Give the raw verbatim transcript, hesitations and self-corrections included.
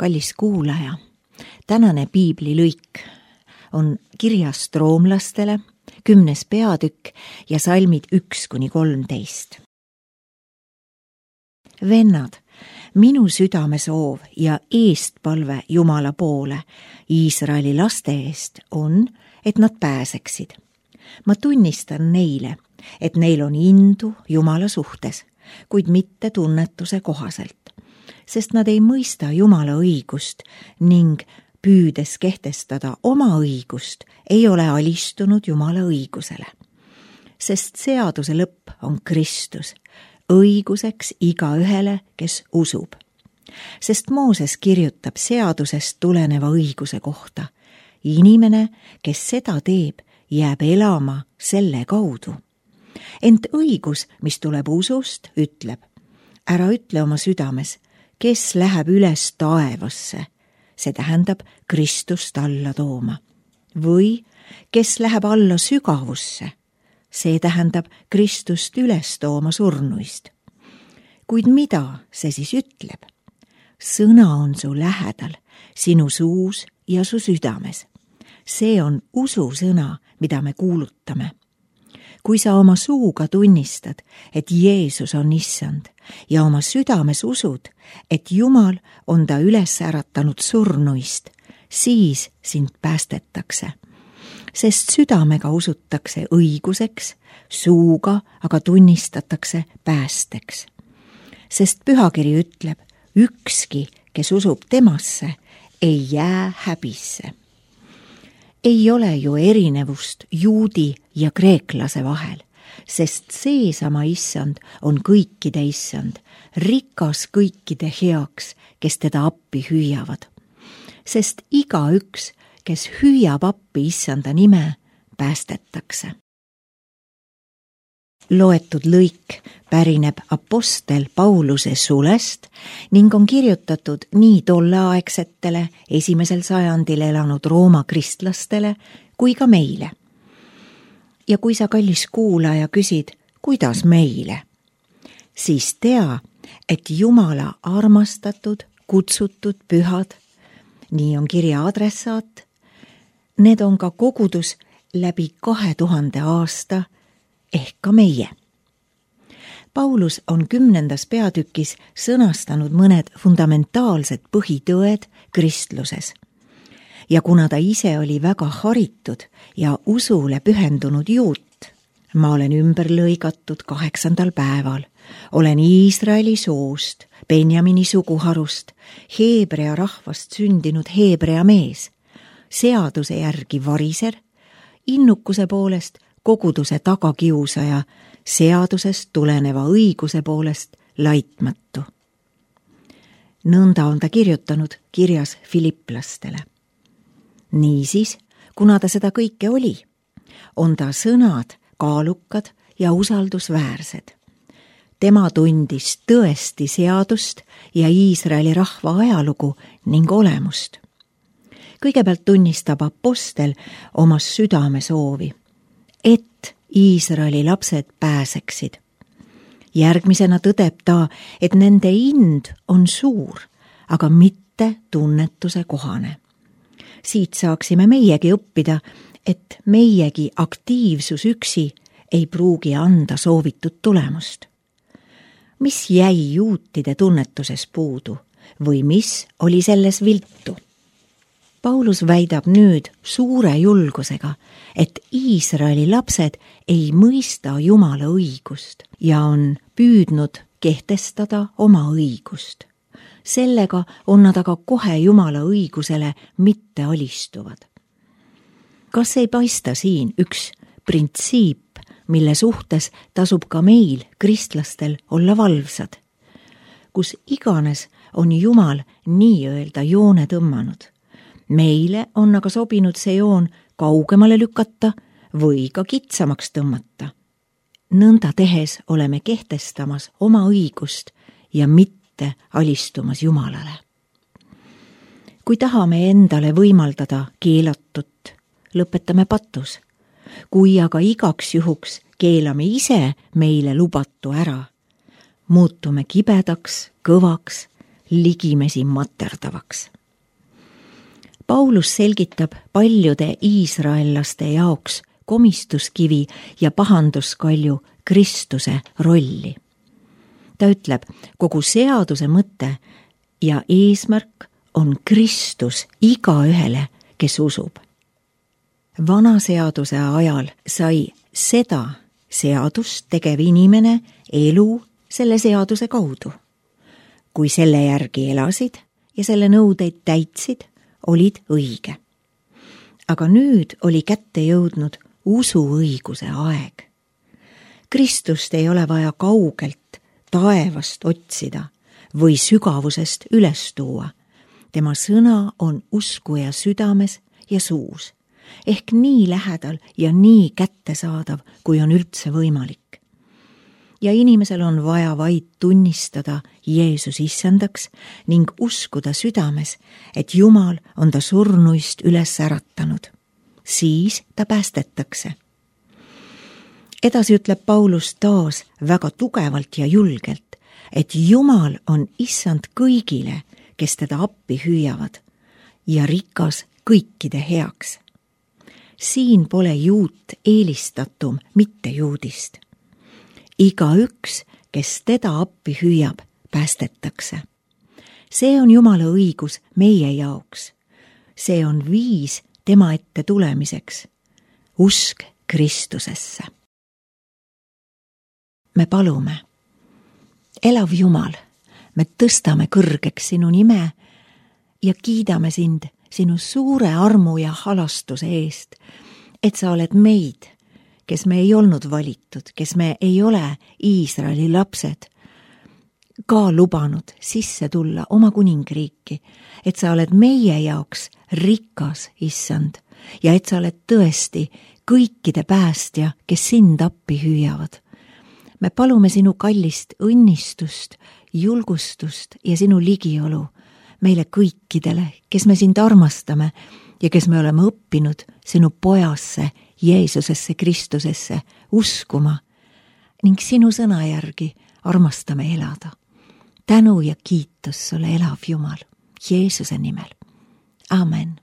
Kallis kuulaja, tänane piiblilõik on kirjast roomlastele, kümnes peatükk ja salmid üks kuni kolmteist. Vennad, minu südame soov ja eestpalve Jumala poole Iisraeli laste eest on, et nad pääseksid. Ma tunnistan neile, et neil on indu Jumala suhtes, kuid mitte tunnetuse kohaselt, sest nad ei mõista Jumala õigust ning püüdes kehtestada oma õigust, ei ole alistunud Jumala õigusele. Sest seaduse lõpp on Kristus, õiguseks igaühele, kes usub. Sest Mooses kirjutab seadusest tuleneva õiguse kohta. Inimene, kes seda teeb, jääb elama selle kaudu. Ent õigus, mis tuleb usust, ütleb, ära ütle oma südames, kes läheb üles taevasse, see tähendab Kristust alla tooma. Või kes läheb alla sügavusse, see tähendab Kristust üles tooma surnuist. Kuid mida see siis ütleb? Sõna on su lähedal, sinu suus ja su südames. See on ususõna, mida me kuulutame. Kui sa oma suuga tunnistad, et Jeesus on issand ja oma südames usud, et Jumal on ta üles äratanud surnuist, siis sind päästetakse. Sest südamega usutakse õiguseks, suuga aga tunnistatakse päästeks. Sest pühakiri ütleb, ükski, kes usub temasse, ei jää häbisse. Ei ole ju erinevust juudi ja kreeklase vahel, sest seesama issand on kõikide issand, rikas kõikide heaks, kes teda appi hüüavad. Sest igaüks, kes hüüab appi issanda nime, päästetakse. Loetud lõik pärineb apostel Pauluse sulest ning on kirjutatud nii tolleaegsetele esimesel sajandil elanud Rooma kristlastele kui ka meile. Ja kui sa, kallis kuulaja, küsid, kuidas meile, siis tea, et Jumala armastatud, kutsutud pühad, nii on kirja adressaat, need on ka kogudus läbi kahe tuhande aasta ehk ka meie. Paulus on kümnendas peatükis sõnastanud mõned fundamentaalsed põhitõed kristluses. Ja kuna ta ise oli väga haritud ja usule pühendunud juut, ma olen ümber lõigatud kaheksandal päeval, olen Iisraeli soost, Benjamini suguharust, heebrea rahvast sündinud heebrea mees, seaduse järgi variser, innukuse poolest koguduse tagakiusaja, seadusest tuleneva õiguse poolest laitmatu. Nõnda on ta kirjutanud kirjas filiplastele. Niisiis, kuna ta seda kõike oli, on ta sõnad kaalukad ja usaldusväärsed. Tema tundis tõesti seadust ja Iisraeli rahva ajalugu ning olemust. Kõigepealt tunnistab apostel oma südame soovi, et Iisraeli lapsed pääseksid. Järgmisena tõdeb ta, et nende ind on suur, aga mitte tunnetuse kohane. Siit saaksime meiegi õppida, et meiegi aktiivsus üksi ei pruugi anda soovitud tulemust. Mis jäi juutide tunnetuses puudu või mis oli selles viltu? Paulus väidab nüüd suure julgusega, et Iisraeli lapsed ei mõista Jumala õigust ja on püüdnud kehtestada oma õigust. Sellega on nad aga kohe Jumala õigusele mitte alistuvad. Kas ei paista siin üks printsiip, mille suhtes tasub ka meil, kristlastel, olla valvsad? Kus iganes on Jumal nii-öelda joone tõmmanud. Meile on aga sobinud see joon kaugemale lükata või ka kitsamaks tõmmata. Nõnda tehes oleme kehtestamas oma õigust ja mitte alistumas Jumalale. Kui tahame endale võimaldada keelatut, lõpetame patus. Kui aga igaks juhuks keelame ise meile lubatu ära, muutume kibedaks, kõvaks, ligimesi materdavaks. Paulus selgitab paljude iisraellaste jaoks komistuskivi ja pahanduskalju Kristuse rolli. Ta ütleb, kogu seaduse mõte ja eesmärk on Kristus igaühele, kes usub. Vana seaduse ajal sai seda seadust tegev inimene elu selle seaduse kaudu. Kui selle järgi elasid ja selle nõudeid täitsid, olid õige. Aga nüüd oli kätte jõudnud usuõiguse aeg. Kristust ei ole vaja kaugelt taevast otsida või sügavusest üles tuua. Tema sõna on uskuja südames ja suus, ehk nii lähedal ja nii kättesaadav, kui on üldse võimalik. Ja inimesel on vaja vaid tunnistada Jeesus issandaks ning uskuda südames, et Jumal on ta surnuist üles äratanud. Siis ta päästetakse. Edasi ütleb Paulus taas väga tugevalt ja julgelt, et Jumal on issand kõigile, kes teda appi hüüavad ja rikas kõikide heaks. Siin pole juut eelistatum mitte juudist. Igaüks, kes teda appi hüüab, päästetakse. See on Jumala õigus meie jaoks. See on viis tema ette tulemiseks. Usk Kristusesse. Me palume. Elav Jumal, me tõstame kõrgeks sinu nime ja kiidame sind sinu suure armu ja halastuse eest, et sa oled meid, kes me ei olnud valitud, kes me ei ole Iisraeli lapsed, ka lubanud sisse tulla oma kuningriiki, et sa oled meie jaoks rikas, issand, ja et sa oled tõesti kõikide päästja, kes sind appi hüüavad. Me palume sinu kallist õnnistust, julgustust ja sinu ligiolu meile kõikidele, kes me sind armastame ja kes me oleme õppinud sinu pojasse, Jeesusesse Kristusesse uskuma ning sinu sõna järgi armastame elada. Tänu ja kiitus sulle, elav Jumal, Jeesuse nimel. Amen.